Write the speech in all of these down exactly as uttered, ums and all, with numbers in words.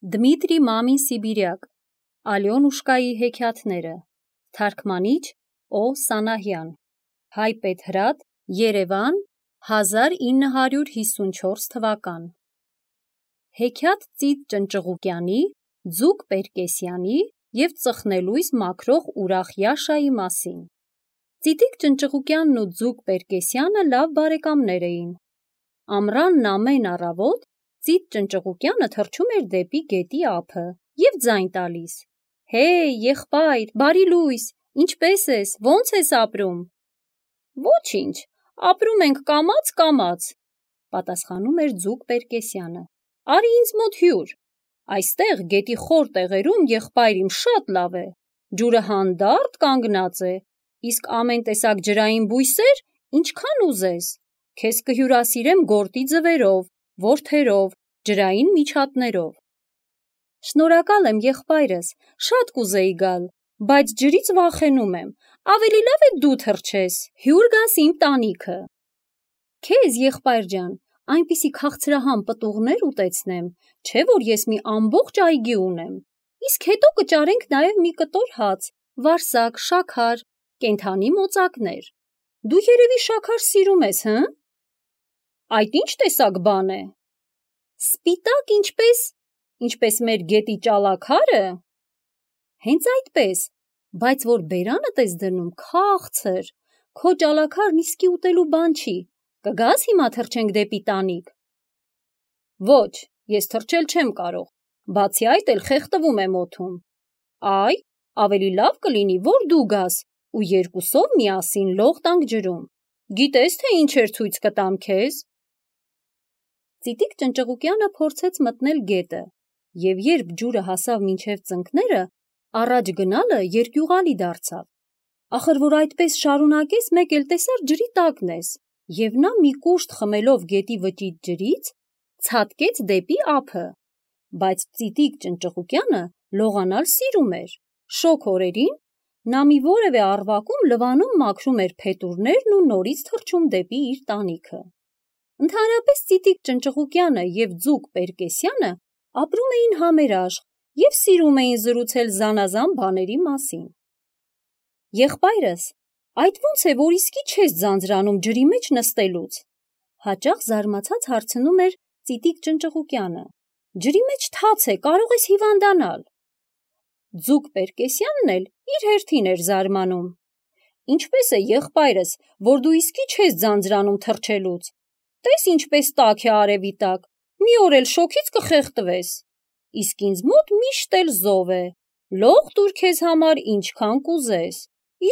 Դմիտրի Մամին Սիբիրյակ, Ալյոնուշկայի հեքիաթները, թարգմանիչ Օ. Սանահյան, Հայպեթրատ, Երևան, հազար ինը հարյուր հիսունչորս թվական։ Հեքիաթ Ծիծ Ճնճղուկյանի, Ձուկ Պերկեսյանի և Ծխնելույս մաքրող ուրախ Յաշայի մասին։ Ծիծիկ Ճնճղուկյանն ու Ձուկ Պերկեսյանը լավ բարեկամներ էին։ Ամռանն ամեն առավոտ Ծիծ Ճնճղուկյանը թռչում էր դեպի գետի ափը և ձայն տալիս. «Հեյ, եղբայր, բարի լույս, ինչպե՞ս ես, ո՞նց ես ապրում»։ «Ոչինչ, ապրում ենք կամաց-կամաց», պատասխանում էր Ձուկ Պերկեսյանը։ «Արի ինձ մոտ հյուր, այստեղ գետի խոր տեղերում, եղբայր իմ, շատ լավ է, ջուրը հանդարտ կանգնած է, իսկ ամեն տեսակ ջրային բույսեր, ինչքան ուզես, քեզ կհյուրասիրեմ գորտի ձվերով, որդերով, ջրային միջատներով»։ «Շնորհակալ եմ, եղբայրս, շատ կուզեի գալ, բայց ջրից վախենում եմ, ավելի լավ է դու թռչես, հյուր գաս իմ տանիքը»։ «Քեզ, եղբայր ջան, այնպիսի քաղցրահամ պտուղներ ուտեցնեմ, չէ՞ որ ես մի ամբողջ այգի ունեմ, իսկ հետո կճարենք նաև մի կտոր հաց, վարսակ, շաքար, կենդանի մոծակներ։ Դու երևի շաքար սիրում ես, հը՞։ Այդ ի՞նչ տեսակ բան է։ Սպիտակ, ինչպես… ինչպես մեր գետի ճալաքարը։ Հենց այդպես, բայց որ բերանդ ես դնում, քաղցր, քո ճալաքարն իսկի ուտելու բան չի, կգաս հիմա թռչենք դեպի տանիք։ Ոչ, ես թռչել չեմ կարող, բացի այդ էլ խեղդվում եմ օդում։ Այ, ավելի լավ կլինի, որ դու գաս ու երկուսով միասին լող տանք ջրում, գիտես, թե ինչեր ցույց կտամ քեզ։ Ծիծիկ Ճնճղուկյանը փորձեց մտնել գետը, և երբ ջուրը հասավ մինչև ծնկները, առաջ գնալը երկյուղալի դարձավ։ Ախր որ այդպես շարունակես, մեկ էլ տեսար ջրի տակն ես, և նա մի կուշտ խմելով գետի վճիտ ջրից, ցատկեց դեպի ափը։ Բայց Ծիծիկ Ճնճղուկյանը լողանալ սիրում էր, շոգ օրերին նա մի որևէ առվակում լվանում մաքրում էր փետուրներն ու նորից թռչում դեպի իր տանիքը։ Ընդհանրապես Ծիծիկ Ճնճղուկյանը և Ձուկ Պերկեսյանը ապրում էին համերաշխ և սիրում էին զրուցել զանազան բաների մասին։ Եղբայրս, այդ ո՞նց է, որ իսկի չես ձանձրանում ջրի մեջ նստելուց, հաճախ զարմացած հարցնում էր Ծիծիկ Ճնճղուկյանը։ Ջրի մեջ թաց է, կարող ես հիվանդանալ։ Ձուկ Պերկեսյանն էլ իր հերթին էր զարմանում. Ինչպես է, եղբայրս, որ դու իսկի չես ձանձրանում թռչելուց, տես ինչպես տաք է արևի տակ, մի օր էլ շոգից կխեղդվես, իսկ ինձ մոտ միշտ էլ զով է, լող տուր քեզ համար ինչքան կուզես,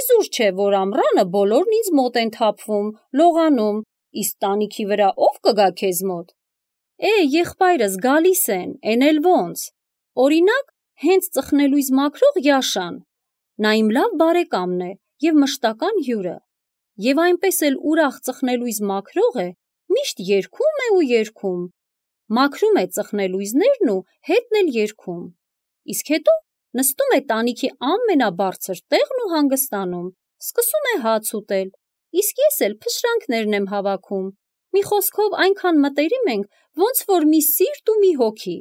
իզուր չէ, որ ամռանը բոլորն ինձ մոտ են թափվում, լողանում, իսկ տանիքի վրա ով կգա քեզ մոտ։ Է, եղբայրս, գալիս են, էն էլ ոնց, օրինակ, հենց Ծխնելույս մաքրող Յաշան, նա իմ լավ բարեկամն է և մշտական հյուրը, և այնպես էլ ուրախ ծխնելույս մաքրող է, միշտ երգում է ու երգում, մաքրում է ծխնելույսներն ու հետն էլ երգում, իսկ հետո նստում է տանիքի ամենաբարձր տեղն ու հանգստանում, սկսում է հաց ուտել, իսկ ես էլ փշրանքներն եմ հավաքում, մի խոսքով այնքան մտերիմ ենք, ոնց որ մի սիրտ ու մի հոգի,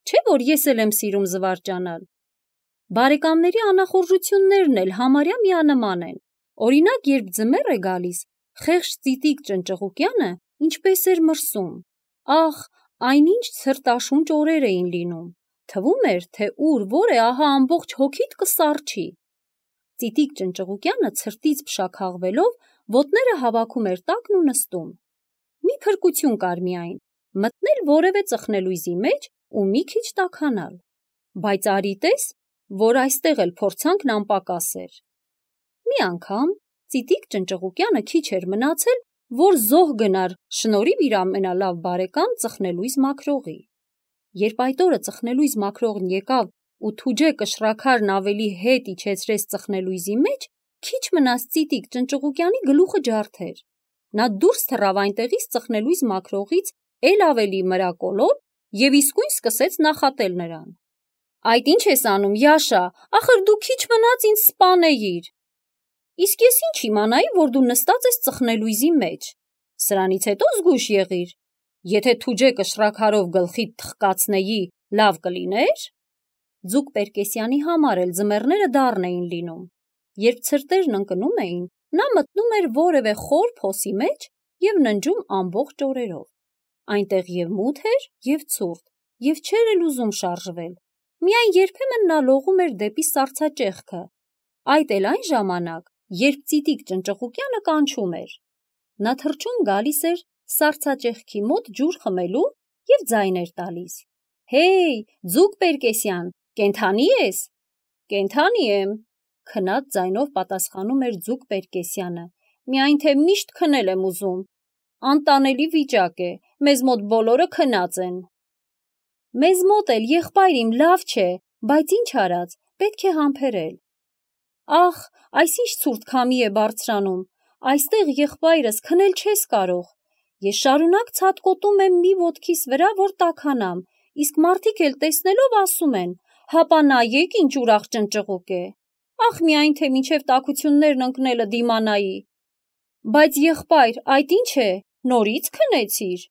չէ՞ որ ես էլ եմ սիրում զվարճանալ։ Բարեկամների անախորժություններն էլ համարյա միանման են, օրինակ, երբ ձմեռ է գալիս, խեղճ Ծիծիկ Ճնճղուկյանը ինչպես էր մրսում, ախ, այնինչ ցրտաշունչ օրեր էին լինում, թվում էր, թե ուր որ է, ահա ամբողջ հոգիդ կսառչի։ Ծիծիկ Ճնճղուկյանը ցրտից փշաքաղվելով ոտները հավաքում էր տակն ու նստում։ Մի փրկություն կար միայն, մտնել որևէ ծխնելույսի մեջ ու մի քիչ տաքանալ, բայց արի տես, որ այստեղ էլ փորձանքն անպակաս էր։ Մի անգամ Ծիծիկ Ճնճղուկյանը քիչ էր մնացել, որ զոհ գնար շնորհիվ իր ամենալավ բարեկամ Ծխնելույս մաքրողի։ Երբ այդ օրը Ծխնելույս մաքրողն եկավ ու թուջե կշռաքարն ավելի հետ իջեցրեց ծխնելույսի մեջ, քիչ մնաց Ծիծիկ Ճնճղուկյանի գլուխը ջարդեր։ Նա դուրս թռավ այնտեղից Ծխնելույս մաքրողից էլ ավելի մրակոլոտ և իսկույն սկսեց նախատել նրան. Այդ ի՞նչ ես անում, Յաշա, ախր դու քիչ մնաց ինձ սպանեիր։ Իսկ ես ինչ իմանայի, որ դու նստած ես ծխնելույսի մեջ, սրանից հետո զգույշ եղիր, եթե թուջե կշռաքարով գլխիդ թխկացնեի Լավ կլիներ։ Ձուկ Պերկեսյանի համար էլ ձմեռները դառն էին լինում։ Երբ ցրտերն ընկնում էին, նա մտնում էր որևէ խոր փոսի մեջ և ննջում ամբողջ օրերով։ Այնտեղ և մութ էր, և ցուրտ, և չէր էլ ուզում շարժվել։ Միայն երբեմն նա լողում էր դեպի սառցաճեղքը, այդ էլ այն ժամանակ, երբ ծիտիկ ճնճղուկյանը կանչում էր։ Նա թռչում գալիս էր սառցաճեղքի մոտ ջուր խմելու և ձայն էր տալիս. «Հեյ, ձուկ Պերկեսյան, կենդանի ես»։ «Կենդանի եմ», քնած ձայնով պատասխանում էր ձուկ Պերկեսյանը, «միայն թե միշտ քնել եմ ուզում։ Անտանելի վիճակ է, մեզ մոտ բոլորը քնած են»։ «Մեզ մոտ էլ, եղբայր իմ, լավ չէ, բայց ինչ արած, պետք է համբերել»։ «Ախ, այս ինչ ցուրտ քամի է բարձրանում, այստեղ, եղբայրս, քնել չես կարող։ Ես շարունակ ցատկոտում եմ մի ոտքիս վրա, որ տաքանամ, իսկ մարդիկ էլ տեսնելով ասում են. հապա նայեք ինչ ուրախ ճնճղուկ է։ Ախ, միայն թե մինչև տաքություններն ընկնելը դիմանայի։ Բայց եղբայր, այդ ինչ է, նորից քնեցիր»։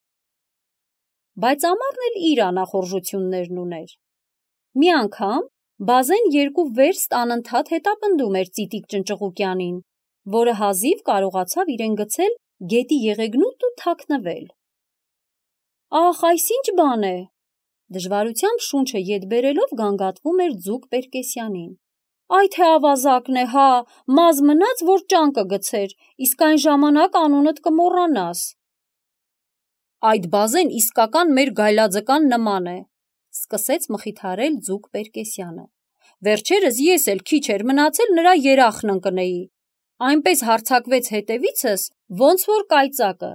Բայց ամառն էլ իր անախորժություններն ուներ։ Մի անգամ Բազեն երկու վերստ անընդհատ հետապնդում էր ծիտիկ ճնճղուկյանին, որը հազիվ կարողացավ իրեն գցել գետի եղեգնուտ ու թաքնվել։ «Ախ, այս ինչ բան է»։ Դժվարությամբ շունչը ետ բերելով գանգատվում էր ձուկ Պերկեսյանին։ «Այ թե ավազակն է, հա, մազ մնաց, որ ճանկը գցեր, իսկ այն ժամանակ անունդ կմոռանաս»։ «Այդ Բազեն իսկական մեր գայլաձկան նման է», սկսեց մխիթարել ձուկ Պերկեսյանը։ «Վերջերս ես էլ քիչ էր մնացել նրա երախն ընկնեի։ Այնպես հարձակվեց հետևիցս, ոնց որ կայծակը,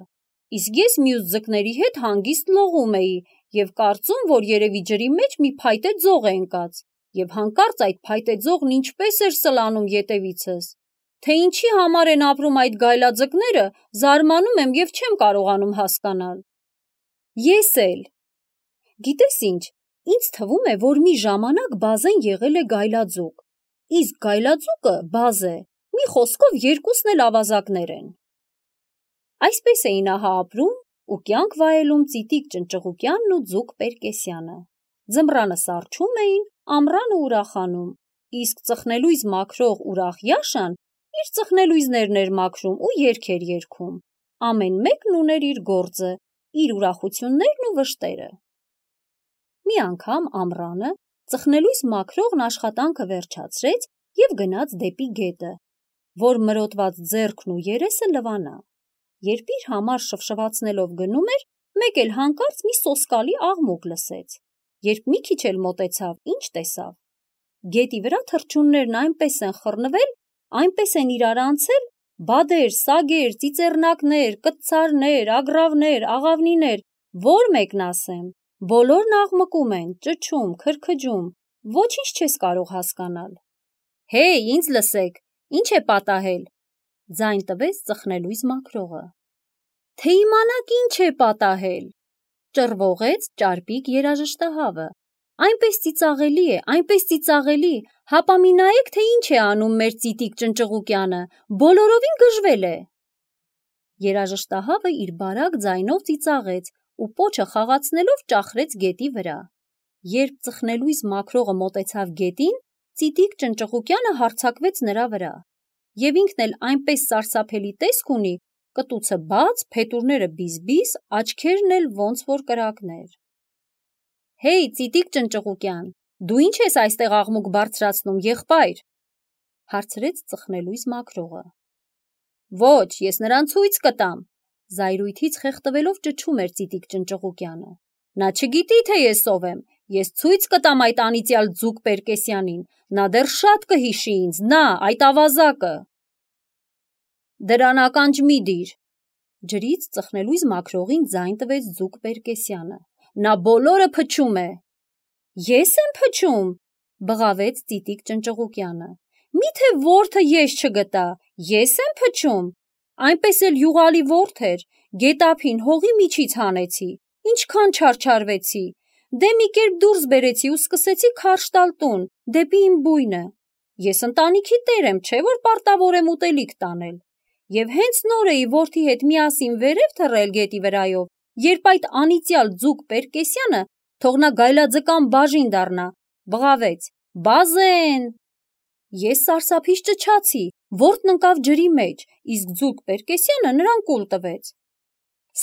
իսկ ես մյուս ձկների հետ հանգիստ լողում էի և կարծում, որ երևի ջրի մեջ մի փայտե ձող է ընկած, և հանկարծ այդ փայտե ձողն ինչպես էր սլանում ետևիցս, թե ինչի համար են ապրում այդ գայլաձկները, զարմանում եմ և չեմ կարողանում հասկանալ»։ «Ես էլ։ Գիտես ինչ, ինձ թվում է, որ մի ժամանակ Բազեն եղել է գայլաձուկ, իսկ գայլաձուկը Բազե, մի խոսքով երկուսն էլ ավազակներ են»։ Այսպես էին ահա ապրում ու կյանք վայելում ծիտիկ ճնճղուկյանն ու ձուկ Պերկեսյանը։ Ձմռանը սառչում էին, ամռանը ուրախանում, իսկ ծխնելույզ մաքրող ուրախ Յաշան իր ծխնելույզներն էր մաքրում ու երգ էր երգում։ Ամեն մեկն ուներ իր գործը, իր ուրախություններն ու վշտերը։ Մի անգամ ամռանը ծխնելույզ մաքրողն աշխատանքը վերջացրեց և գնաց դեպի գետը, որ մրոտված ձեռքն ու երեսը լվանա։ Երբ իր համար շվշվացնելով գնում էր, մեկ էլ հանկարծ մի սոսկալի աղմուկ լսեց։ Երբ մի քիչ էլ մոտեցավ, ինչ տեսավ։ Գետի վրա թռչուններն այնպես են խռնվել, այնպես են իրար անցել, բադեր, սագեր, ծիծեռնակներ, կտցարներ, ագռավներ, աղավնիներ, որ մեկն ասեմ, բոլորն աղմկում են, ճչում, քրքջում, ոչինչ չես կարող հասկանալ։ «Հեյ, ինձ լսեք, ինչ է պատահել», ձայն տվեց ծխնելույզ մաքրողը։ «Թե իմանաք ինչ է պատահել», ճռվողեց ճարպիկ երաժշտահավը։ «Այնպես ծիծաղելի է, այնպես ծիծաղելի, հապա մի նայեք, թե ինչ է անում մեր ծիտիկ ճնճղուկյանը, բոլորովին գժվել է»։ Երաժշտահավը իր բարակ ձայնով ծիծաղեց ու պոչը խաղացնելով ճախրեց գետի վրա։ Երբ ծխնելույզ մաքրողը մոտեցավ գետին, ծիտիկ ճնճղուկյանը հարձակվեց նրա վրա։ Եվ ինքն էլ այնպես սարսափելի տեսք ունի, կտուցը բաց, փետուրները բիզ-բիզ, աչքերն էլ ոնց որ կրակներ։ «Հեյ, ծիտիկ ճնճղուկյան, դու ինչ ես այստեղ աղմուկ բարձրացնում, եղբայր», հարցրեց ծխնելույզ մաքրողը։ «Ոչ, ես նրան ցույց կտամ», զայրույթից խեղդվելով ճչում էր ծիտիկ ճնճղուկյանը։ «Նա չգիտի, թե ես ով եմ, ես ցույց կտամ այդ անիծյալ ձուկ Պերկեսյանին, նա դեռ շատ կհիշի ինձ, նա, այդ ավազակը»։ «Դրան ականջ մի դիր», ջրից ծխնելույզ մաքրողին ձայն տվեց ձուկ Պերկեսյանը։ «Նա բոլորը փչում է»։ «Ես եմ փչում», բղավեց ծիտիկ ճնճղուկյանը։ «Միթե որդը ես չգտա, ես եմ փչում։ Այնպես էլ յուղալի ворթ էր, գետափին հողի միջից հանեցի, ինչքան չարչարվեցի, դե մի կերպ դուրս բերեցի ու սկսեցի քարշ տալ տուն, դեպի իմ բույնը։ Ես ընտանիքի տեր եմ, չէ՞ որ պարտավոր եմ ուտելիք տանել։ Եվ հենց նոր էի որդի հետ միասին վերև թռել գետի վրայով, երբ այդ անիծյալ ձուկ Պերկեսյանը թող նա գայլաձկան բաժին դառնա, բղավեց. Բազեն։ Ես սարսափից ճչացի, որդն ընկավ ջրի մեջ, իսկ ձուկ Պերկեսյանը նրան կուլ տվեց։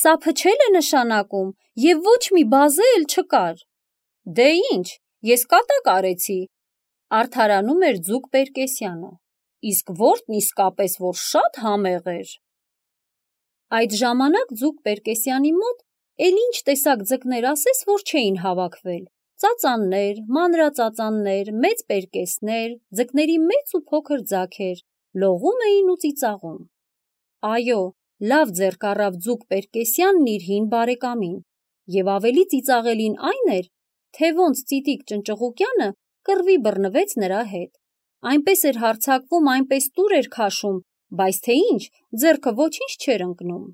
Սա փչել է նշանակում, և ոչ մի բազե էլ չկար։ Դե ինչ, ես կատակ արեցի, արդարանում էր ձուկ Պերկեսյանը, իսկ որդն իսկապես որ շատ համեղ էր։ Այդ ժամանակ ձուկ Պերկեսյանի մոտ էլ ինչ տեսակ ձկներ ասես, որ չէին հավաքվել, ծածաններ, մանրածածաններ, մեծ պերկեսներ, ձկների մեծ ու փոքր ձագեր, լողում էին ու ծիծաղում։ Այո, լավ ձեռք առավ ձուկ Պերկեսյանն իր հին բարեկամին, և ավելի ծիծաղելին այն էր, թե ոնց Ծիծիկ Ճնճղուկյանը կռվի բռնվեց նրա հետ, այնպես էր հարձակվում, այնպես տուր էր քաշում, բայց թե ինչ, ձեռքը ոչինչ չէր ընկնում։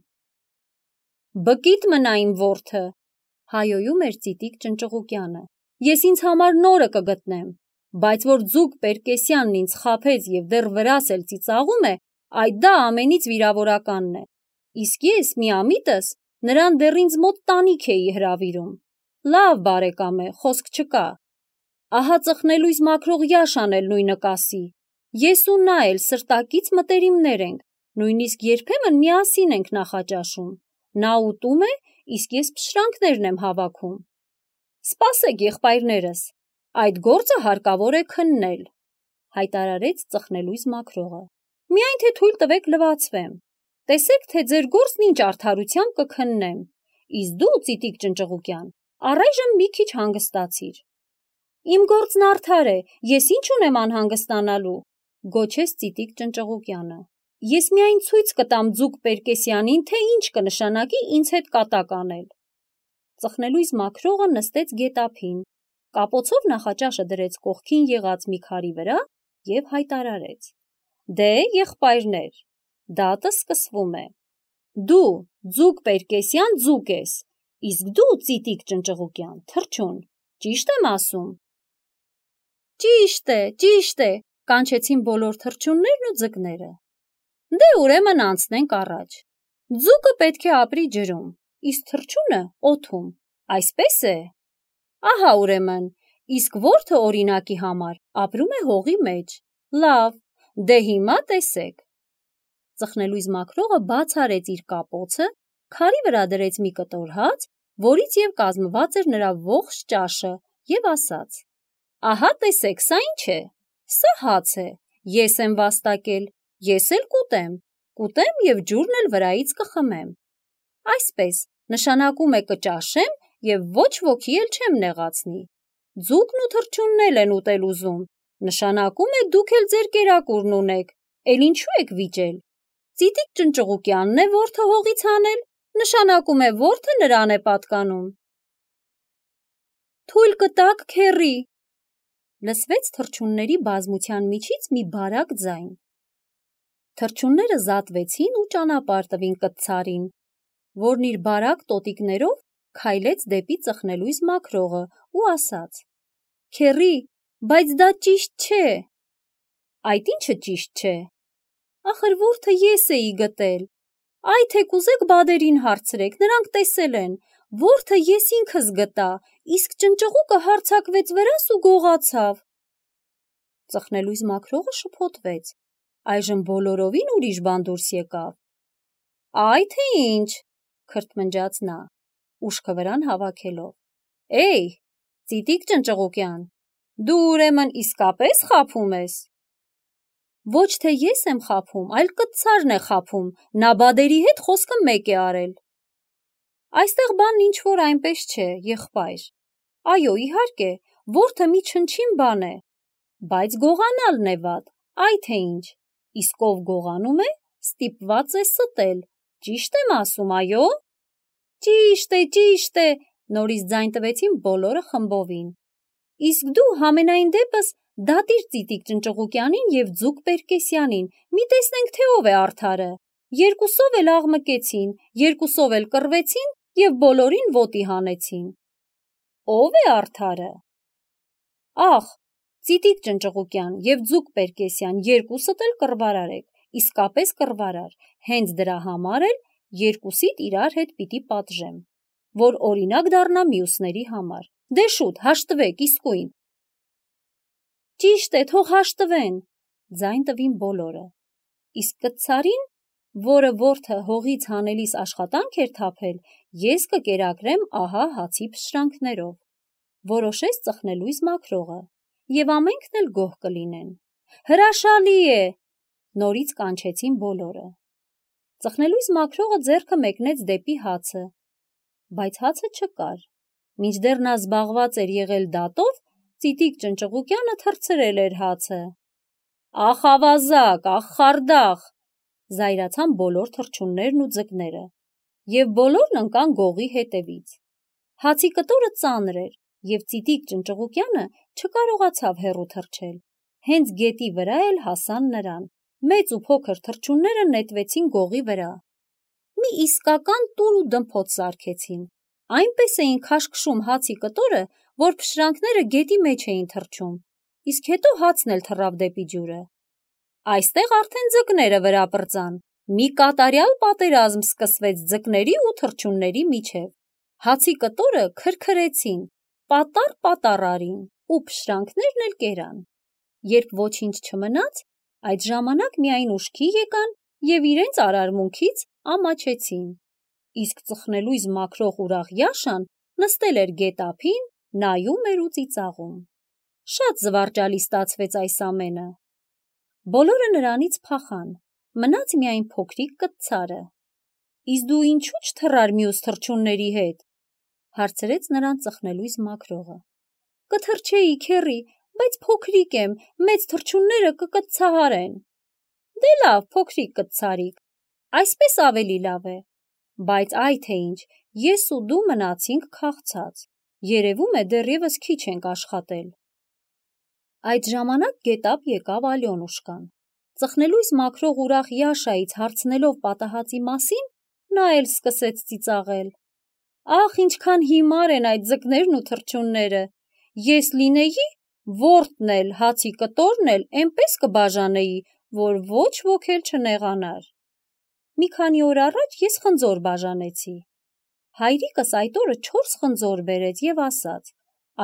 Բկիտ մնա իմ որդը, հայոյում էր Ծիծիկ Ճնճղուկյանը, ես ինձ համար նորը կգտնեմ, բայց որ ձուկ Պերկեսյանն ինձ խաբեց և դեռ վրաս էլ ծիծաղում է, այդ դա ամենից վիրավորականն է, իսկ ես միամիտս նրան դեռ ինձ մոտ տանիք էի հրավիրում։ Լավ բարեկամ է, խոսք չկա։ Ահա ծխնելույս մաքրող Յաշան էլ նույնը կասի, ես ու նա էլ սրտակից մտերիմներ ենք, նույնիսկ երբեմն միասին ենք նախաճաշում, նա ուտում է, իսկ ես փշրանքներն եմ հավաքում։ Սպասեք, եղբայրներս, այդ գործը հարկավոր է քննել, հայտարարեց ծխնելույս մաքրողը, միայն թե թույլ տվեք լվացվեմ, տեսեք, թե ձեր գործն ինչ արդարությամբ կքննեմ, իսկ դու, Ծիծիկ Ճնճղուկյան, առայժմ մի քիչ հանգստացիր։ Իմ գործն արդար է, ես ինչ ունեմ անհանգստանալու, գոչեց Ծիծիկ Ճնճղուկյանը, ես միայն ցույց կտամ ձուկ Պերկեսյանին, թե ինչ կնշանակի ինձ հետ կատակ անել։ Ծխնելույս մաքրողը նստեց գետափին, կապոցով նախաճաշը դրեց կողքին եղած մի քարի վրա և հայտարարեց. Դե, եղբայրներ, դատը սկսվում է։ Դու, ձուկ Պերկեսյան, ձուկ ես, իսկ դու, Ծիծիկ Ճնճղուկյան, թռչուն, ճիշտ եմ ասում։ Ճիշտ է, ճիշտ է, կանչեցին բոլոր թռչուններն ու ձկները։ Դե ուրեմն անցնենք առաջ։ Ձուկը պետք է ապրի ջրում, իսկ թռչունը օդում, այսպես է։ Ահա ուրեմն, իսկ որդը օրինակի համար ապրում է հողի մեջ։ Լավ, դե հիմա տեսեք։ Ծխնելույս մաքրողը բաց արեց իր կապոցը, քարի վրա դրեց մի կտոր հաց, որից և կազմված էր նրա ողջ ճաշը, և ասաց. Ահա տեսեք, սա ինչ է։ Սա հաց է, ես եմ վաստակել, ես էլ կուտեմ, կուտեմ և ջուրն էլ վրայից կխմեմ։ Այսպես, նշանակում է կճաշեմ և ոչ ոքի էլ չեմ նեղացնի։ Ձուկն ու թռչունն էլ են ուտել ուզում, նշանակում է դուք էլ ձեր կերակուրն ունեք, էլ ինչու եք վիճել։ Ծիծիկ Ճնճղուկյանն է որդը հողից հանել, նշանակում է որդը նրան է պատկանում։ Թույլ կտաք, քեռի, լսվեց թռչունների բազմության միջից մի բարակ ձայն։ Թռչունները զատվեցին ու ճանապարհ տվին կտցարին, որն իր բարակ տոտիկներով քայլեց դեպի ծխնելույս մաքրողը ու ասաց. Քեռի, բայց դա ճիշտ չէ։ Այդ ինչը ճիշտ չէ։ Ախր որդը ես էի գտել։ Այ թե կուզեք բադերին հարցրեք, նրանք տեսել են, որդը ես ինքս գտա, իսկ ճնճղուկը հարձակվեց վրաս ու գողացավ։ Ծխնելույս մաքրողը շփոթվեց, այժմ բոլորովին ուրիշ բան դուրս եկավ։ Այ թե ինչ, քրթմնջաց նա, ուշքը վրան հավաքելով։ Էյ, Ծիծիկ Ճնճղուկյան, դու ուրեմն իսկապես խաբում ես։ Ոչ թե ես եմ խաբում, այլ կտցարն է խաբում, նա բադերի հետ խոսքը մեկ է արել։ Այստեղ բանն ինչ որ այնպես չէ, եղբայր։ Այո, իհարկե, որդը մի չնչին բան է, բայց գողանալն է վատ, այ թե ինչ, իսկ ով գողանում է, ստիպված է ստել, ճիշտ եմ ասում, այո։ Ճիշտ է, ճիշտ է, նորից ձայն տվեցին բոլորը խմբովին։ Իսկ դու համենայն դեպս դատիր Ծիծիկ Ճնճղուկյանին և ձուկ Պերկեսյանին, մի տեսնենք, թե ով է արդարը։ Երկուսով էլ աղմկեցին, երկուսով էլ կռվեցին և բոլորին ոտի հանեցին։ Ո՞վ է արդարը։ Ախ, Ծիծիկ Ճնճղուկյան և ձուկ Պերկեսյան, երկուսդ էլ կռվարար եք, իսկապես կռվարար, հենց դրա համար էլ երկուսիդ իրար հետ պիտի պատժեմ, որ օրինակ դառնա մյուսների համար։ Դե շուտ, հաշտվեք, իսկույն։ Ճիշտ է, թող հաշտվեն, ձայն տվին բոլորը։ Իսկ կտցարին, որը որդը հողից հանելիս աշխատանք էր թափել, ես կկերակրեմ ահա հացի փշրանքներով։ Որոշեց ծխնելույզ մաքրողը, եւ ամենքն էլ գոհ կլինեն։ Հրաշալի է, նորից կանչեցին բոլորը։ Ծխնելույզ մաքրողը ձեռքը մեկնեց դեպի հացը, բայց հացը չկար։ Մինչդեռ նա զբաղված էր եղել դատով, Ծիտիկ Ճնճղուկյանը թռցրել էր հացը։ Ախ ավազակ, ախ խարդախ, զայրացան բոլոր թռչուններն ու ձկները, եւ բոլորն ընկան գողի հետևից։ Հացի կտորը ծանր էր, եւ Ծիտիկ Ճնճղուկյանը չկարողացավ հեռու թռչել։ Հենց գետի վրա էլ հասան նրան։ Մեծ ու փոքր թռչունները նետվեցին գողի վրա։ Մի իսկական տուր ու դմփոց սարքեցին։ Այնպես էին քաշքշում հացի կտորը, որ փշրանքները գետի մեջ էին թռչում, իսկ հետո հացն էլ թռավ դեպի ջուրը։ Այստեղ արդեն ձկները վրա պրծան։ Մի կատարյալ պատերազմ սկսվեց ձկների ու թռչունների միջև։ Հացի կտորը քրքրեցին, պատառ-պատառ արին, ու փշրանքներն էլ կերան։ Երբ ոչինչ չմնաց, այդ ժամանակ միայն ուշքի եկան եւ իրենց արարմունքից ամաչեցին։ Իսկ ծխնելույզ մաքրող ուրախ Յաշան նստել էր գետափին, նայում էր ու ծիծաղում։ Շատ զվարճալի ստացվեց այս ամենը։ Բոլորը նրանից փախան, մնաց միայն փոքրիկ կտցարը։ Իսկ դու ինչու՞ չթռար մյուս թռչունների հետ, հարցրեց նրան ծխնելույզ մաքրողը։ Կթռչեի, քեռի, բայց փոքրիկ եմ, մեծ թռչունները կկտցահարեն։ Դե լավ, փոքրիկ կտցարիկ, այսպես ավելի լավ է, բայց այ թե ինչ, ես ու դու մնացինք քաղցած, երևում է դեռևս քիչ ենք աշխատել։ Այդ ժամանակ գետափ եկավ Ալյոնուշկան։ Ծխնելույզ մաքրող ուրախ Յաշայից հարցնելով պատահածի մասին, նա էլ սկսեց ծիծաղել։ Ախ, ինչքան հիմար են այդ ձկներն ու թռչունները։ Ես լինեի, որդն էլ, հացի կտորն էլ էնպես կբաժանեի, որ ոչ ոք էլ չնեղանար։ Մի քանի օր առաջ ես խնձոր բաժանեցի։ Հայրիկս այդ օրը չորս խնձոր բերեց եւ ասաց.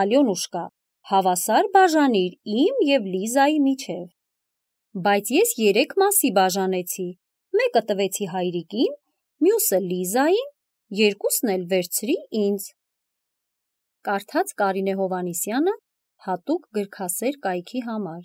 Ալյոնուշկա, հավասար բաժանիր իմ եւ Լիզայի միջև։ Բայց ես երեք մասի բաժանեցի, մեկը տվեցի հայրիկին, մյուսը Լիզային, երկուսն էլ վերցրի ինձ։ Կարդաց Կարինե Հովհաննիսյանը հատուկ գրքասեր կայքի համար։